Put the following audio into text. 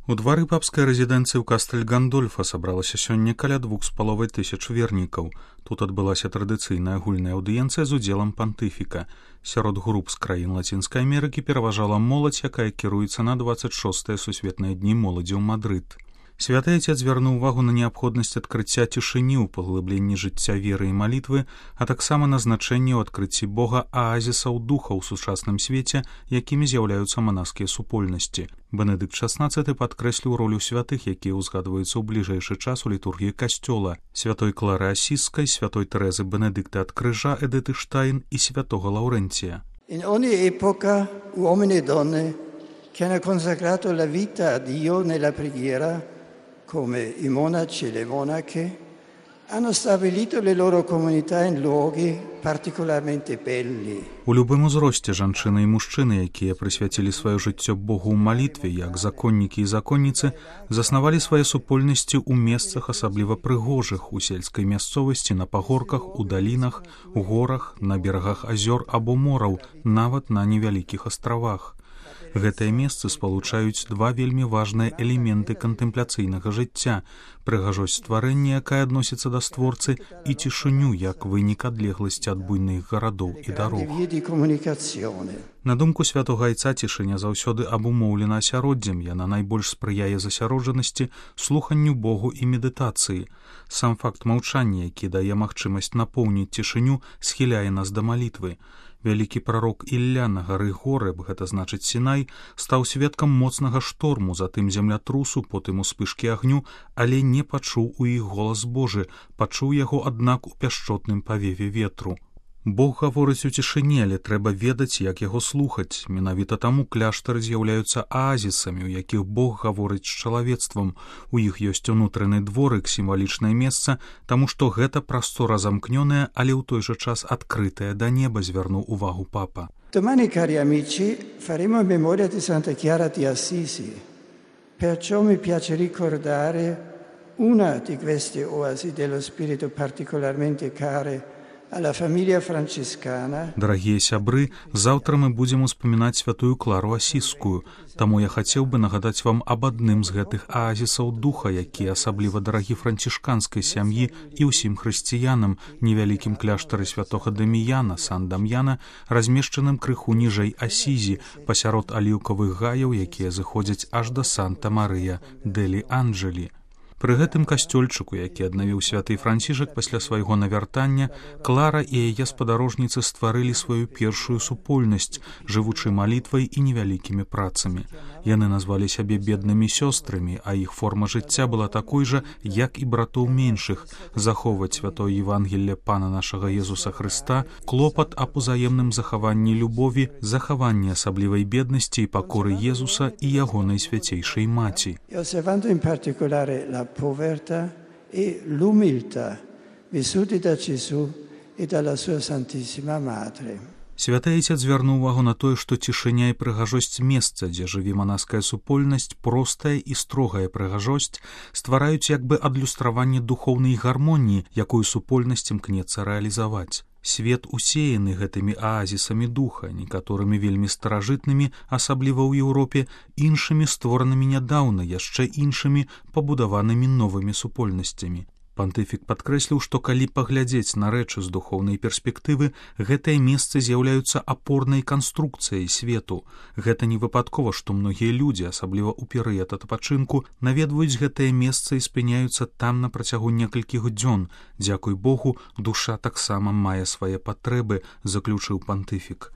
У двары папскай рэзідэнцыі ў Кастэль-Гандольфа сабралася сёння каля 2500 вернікаў. Тут адбылася традыцыйная агульная аўдыенцыя з удзелам пантыфіка. Сярод груп з краін Лацінскай Амерыкі пераважала моладзь, якая кіруецца на 26-е сусветныя дні моладзі ў Мадрыд. Святы Отец звярнуў увагу на неабходнасць адкрыцця цішыні ў паглыбленні жыцця веры і малітвы, а таксама на значэнне ў адкрыцці Бога аазісаў духа ў сучасным свеце, якімі з'яўляюцца манаскія супольнасці. Бенедыкт XVI падкрэсліў ролю святых, якія ўзгадваюцца ў бліжэйшы час у літургіі касцёла: святой Клары Асіскай, святой Тэрэзы Бенедыкта ад крыжа, Эдыты Штайн і святого Лаўрэнція. In ogni epoca uomini e donne che hanno consacrato la vita a Dio nella preghiera, come i monaci e le monache, hanno stabilito le loro comunità in luoghi particolarmente belli. У любым узросце жанчыны і мужчыны, якія прысвяцілі сваё жыццё Богу ў малітве, як законнікі і законніцы, заснавалі свае супольнасці ў месцах асабліва прыгожых, у сельскай мясцовасці, на пагорках, у далінах, у горах, на берагах азёр або мораў, нават на невялікіх астравах. Гэтыя месцы спалучаюць два вельмі важныя элементы кантэмпляцыйнага жыцця: прыгажосць стварэння, якая адносіцца да створцы, і цішыню, як вынік адлегласці ад буйных гарадоў і дарог. На думку святога Айца, цішыня заўсёды абумоўлена асяроддзем, яна найбольш спрыяе засяроджанасці, слуханню Богу і медытацыі. Сам факт маўчання, які дае магчымасць напоўніць цішыню, схіляе нас да малітвы. Вялікі прарок Ілля на гары Горэб, гэта значыць Сінай, стаў сведкам моцнага шторму, затым землятрусу, потым успышкі агню, але не пачуў у іх голас Божы, пачуў яго, аднак, у пяшчотным павеве ветру. Бог гаворыць у цішыні, але трэба ведаць, як яго слухаць. Менавіта таму кляштары з'яўляюцца аазісамі, у якіх Бог гаворыць з чалавецтвам. У іх ёсць унутраны дворык, сімвалічнае месца, таму што гэта прастора замкнёная, але ў той жа час адкрытая да неба, звярнуў увагу папа. Domani, cari amici, faremo memoria di Santa Chiara di Assisi. Perciò mi piace ricordare una di queste oasi dello spirito particolarmente care alla famiglia francescana. Дарагія сябры, заўтра мы будзем успамінаць святую Клару Асіскую, таму я хацеў бы нагадаць вам аб адным з гэтых аазісаў духа, які асабліва дарагі францішканскай сям'і і ўсім хрысціянам, невялікім кляштары святога Даміяна, Сан-Дам'яна, размешчаным крыху ніжэй Асізі, пасярод аліўкавых гаяў, якія зыходзяць аж да Санта-Марыя дэлі Анджэлі. Пры гэтым касцёльчыку, які аднавіў святы Францішак пасля свайго навяртання, Клара і яе спадарожніцы стварылі сваю першую супольнасць, жывучы малітвай і невялікімі працамі. Яны назвалі сябе беднымі сёстрамі, а іх форма жыцця была такой жа, як і братоў меншых: захоўваць святое Евангелле Пана нашага Езуса Хрыста, клопат аб узаемным захаванні любові, захаванні асаблівай беднасці і пакоры Езуса і ягонай свяцейшай маці. Povertà e l'umiltà vissuti da Gesù e dalla sua Santissima Madre. Святы Отец звярнуў увагу на тое, што цішыня і прыгажосць месца, дзе жыве манаская супольнасць, простая і строгая прыгажосць, ствараюць як бы адлюстраванне духоўнай гармоніі, якую супольнасць імкнецца рэалізаваць. Свет усеяны гэтымі аазісамі духа, некаторымі вельмі старажытнымі, асабліва ў Еўропе, іншымі створанымі нядаўна, яшчэ іншымі пабудаванымі новымі супольнасцямі. Пантыфік падкрэсліў, што калі паглядзець на рэчы з духоўнай перспектывы, гэтыя месцы з'яўляюцца апорнай канструкцыяй свету. Гэта не выпадкова, што многія людзі, асабліва ў перыяд адпачынку, наведваюць гэтае месца і спыняюцца там на працягу некалькіх дзён. Дзякуй Богу, душа таксама мае свае патрэбы, заключыў пантыфік.